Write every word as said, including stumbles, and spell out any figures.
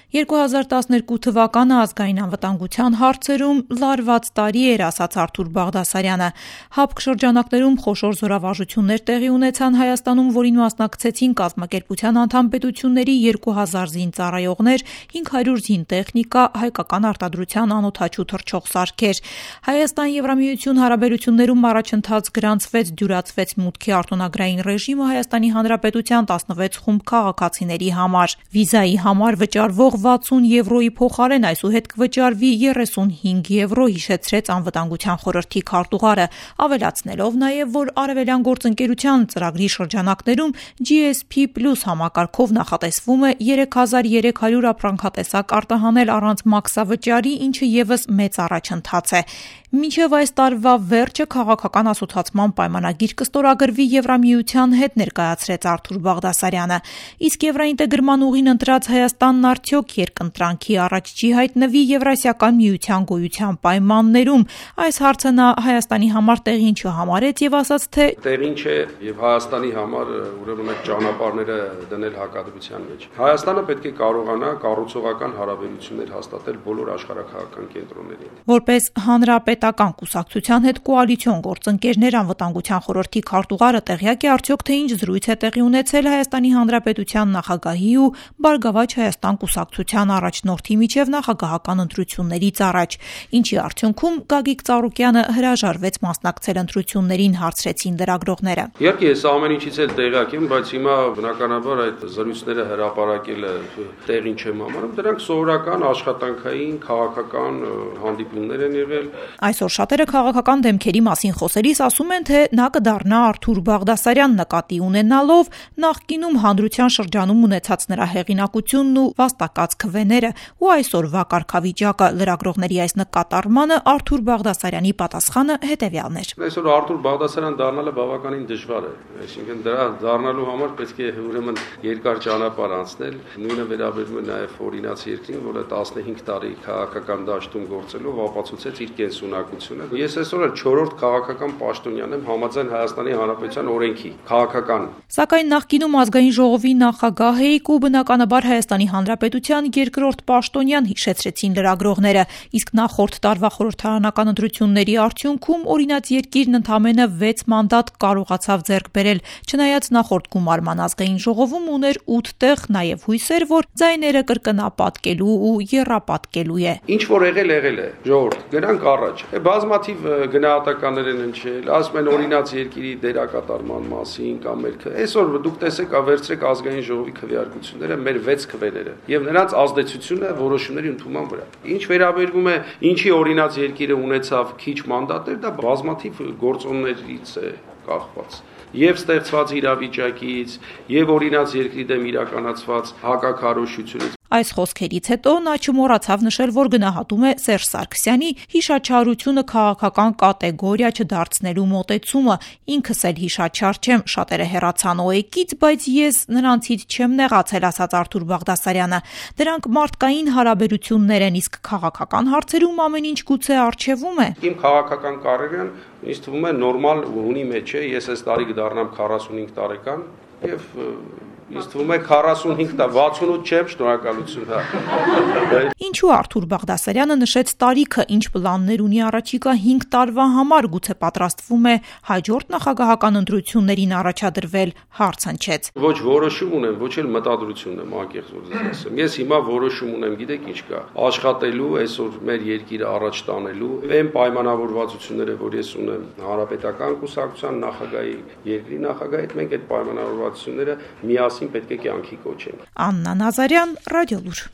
երկու հազար տասներկու թվականը ազգային անվտանգության հարցերում լարված տարի էր, ասաց Արթուր Բաղդասարյանը։ ՀԱՊԿ շրջանակներում խոշոր զորավարժություններ տեղի ունեցան Հայաստանում, որին մասնակցեցին կազմակերպության անդամ պետությունների երկու հազար զինծառայողներ, հինգ հարյուր զինտեխնիկա, հայկական արտադրության անօդաչու թռչող սարքեր։ Հայաստան-Եվրամիություն հարաբերություններում առաջընթաց գրանցվեց, դյուրացվեց մուտքի արտոնագրային ռեժիմը Հայաստանի Հանրապետության տասնվեց խումբ քաղաքացիների համար։ Վիզայի համար վճարվող վաթսուն եվրոյի փոխարեն այսուհետ կվճարվի երեսունհինգ եվրո, հիշեցրեց անվտանգության խորհրդի քարտուղարը, ավելացնելով նաև, որ Արևելյան գործընկերության ծրագրի շրջանակներում G S P Plus համակարգով նախատեսվում է երեք հազար երեք հարյուր ապրանքատեսակ արտահանել առանց մաքսավճարի, ինչը ևս մեծ առաջընթաց է։ Մինչև այս տարվա վերջը քաղաքական ասոցացման պայմանագիր կստորագրվի Եվրամիության հետ, ներկայացրեց Արթուր Բաղդասարյանը։ Իսկ եվրաինտեգրման ուղին ընտրած Հայաստանն արդյոք երկընտրանքի առաջ չի հայտնվի Եվրասիական միության գոյության պայմաններում։ Այս հարցը նա Հայաստանի համար տեղին չհամարեց եւ ասաց, թե տեղին չէ եւ Հայաստանի համար ուրեմն այդ ճանապարհները դնել հակադրության մեջ։ Հայաստանը պետք է կարողանա կառուցողական հարաբերություններ հաստատել բոլոր աշխարհաքաղաքական կենտրոնների հետ։ Որպես հանրապետական կուսակցության հետ կոալիցիոն գործընկերներ, անվտանգության խորհրդի քարտուղարը տեղյակ է արդյոք, թե ինչ զրույց է տեղի ունեցել Հայաստանի Հանրապետության նախագահի ու Բարգավաճ Հայաստան կուսակցության առաջնորդի միջև նախագահական ընտրություններից առաջ, ինչի արդյունքում Գագիկ Ծառուկյանը հրաժարվեց մասնակցել ընտրություններին, հարցրեցին լրագրողները։ Իհարկե, ես ամեն ինչից էլ տեղյակ եմ, բայց հիմա բնականաբար այդ զրույցները հրապարակելը տեղին չեմ համարում, դրանք սովորական աշխատանքային, քաղաքական հանդիպումներ են եղել։ Այսօր շատերը քաղաքական դեմքերի մասին խոսելիս ասում են, թե նա կդառնա Արթուր Բաղդասարյան, նկատի ունենալով նախկինում հանրության շրջանում ունեցած նրա հեղինակությունն ու վաստակած քվեները ու այսօրվա կարգավիճակը։ Լրագրողների այս նկատառմանը Արթուր Բաղդասարյանի պատասխանը հետևյալն էր։ Այսօր Արթուր Բաղդասարյան դառնալը բավականին դժվար է, այսինքն դրա դառնալու համար պետք է ուրեմն երկար ճանապարհ անցնել։ Նույնը վերաբերում է նաև օրինաց երկրին, որը տասնհինգ տարի քաղաքական դաշտում գործելով ապացուցեց իր կենսունակությունը։ Ես այսօր էլ չորրորդ քաղաքական պաշտոնյան եմ համաձայն Հայաստանի Հանրապետության օրենքի, քաղաքական։ Սակայն նախկինում ազգային ժողովի նախագահ էիք ու բնականաբար Հայաստանի Հանրապետության երկրորդ պաշտոնյան, հիշեցրեցին լրագրողները, իսկ նախորդ տարվա խորհրդարանական ընտրությունների արդյունքում օրինաց երկիրն ընդամենը վեց մանդատ կարողացավ ձեռք բերել, չնայած նախորդ գումարման ազգային ժողովում ուներ ութ տեղ, նաև հույսեր, որ ձայները կրկնապատկելու ու եռապատկելու է։ Ինչ որ եղել եղել է, ժողովուրդ, գնանք առաջ։ Բազմաթիվ գնահատականներ են հնչել, ասում են օրինաց երկիրի դերակատարման մասին կամ մեր այսօր դուք տեսեք, ավերցրեք ազգային ժողովի քվեարկությունները, մեր վեց քվեները եւ նրանց ազդեցությունը որոշումների ընդունման վրա։ Ինչ վերաբերվում է ինչի օրինաց երկիրը ունեցավ քիչ մանդատներ, դա բազմաթիվ գործոններից է կախված։ Եվ ստեղծված իրավիճակից, եւ օրինաց երկրի դեմ իրականացված հակաքարոզությունից։ Այս խոսքերից հետո նա չմոռացավ նշել, որ գնահատում է Սերժ Սարգսյանի հիշաչարությունը քաղաքական կատեգորիա չդարձնելու մոտեցումը։ Ինքս էլ հիշաչար չեմ, շատերը հեռացան օ-եկից, բայց ես նրանցից չեմ նեղացել, ասաց Արթուր Բաղդասարյանը։ Դրանք մարդկային հարաբերություններ են, իսկ քաղաքական հարցերում ամեն ինչ գուցե առջևում է։ Իմ քաղաքական կարիերան ինձ թվում է նորմալ հունի մեջ է, ես այս տարի կդառնամ քառասունհինգ տարեկան եւ ինձ թվում է քառասունհինգ տա, վաթսունութ չեմ, շնորհակալություն։ Ինչու Արթուր Բաղդասարյանը նշեց տարիքը, ինչ պլաններ ունի առաջիկա հինգ տարվա համար, գուցե պատրաստվում է հաջորդ նախագահական ընտրություններին առաջադրվել, հարց հնչեց։ Ոչ որոշում ունեմ, ոչ էլ մտադրություն եմ, անկեղծ որ ձեզ ասեմ։ Ես հիմա որոշում ունեմ, գիտեք ինչ կա, աշխատելու, այսօր մեր երկիրը առաջ տանելու, այն պայմանավորվածությունները, որ ես ունեմ հանրապետական կուսակցության նախագահի, երկրի նախագահի հետ, մենք այդ պայմանավորվածությունները միասին պետք է կյանքի կոչենք։ Աննա Նազարյան, Ռադիոլուր։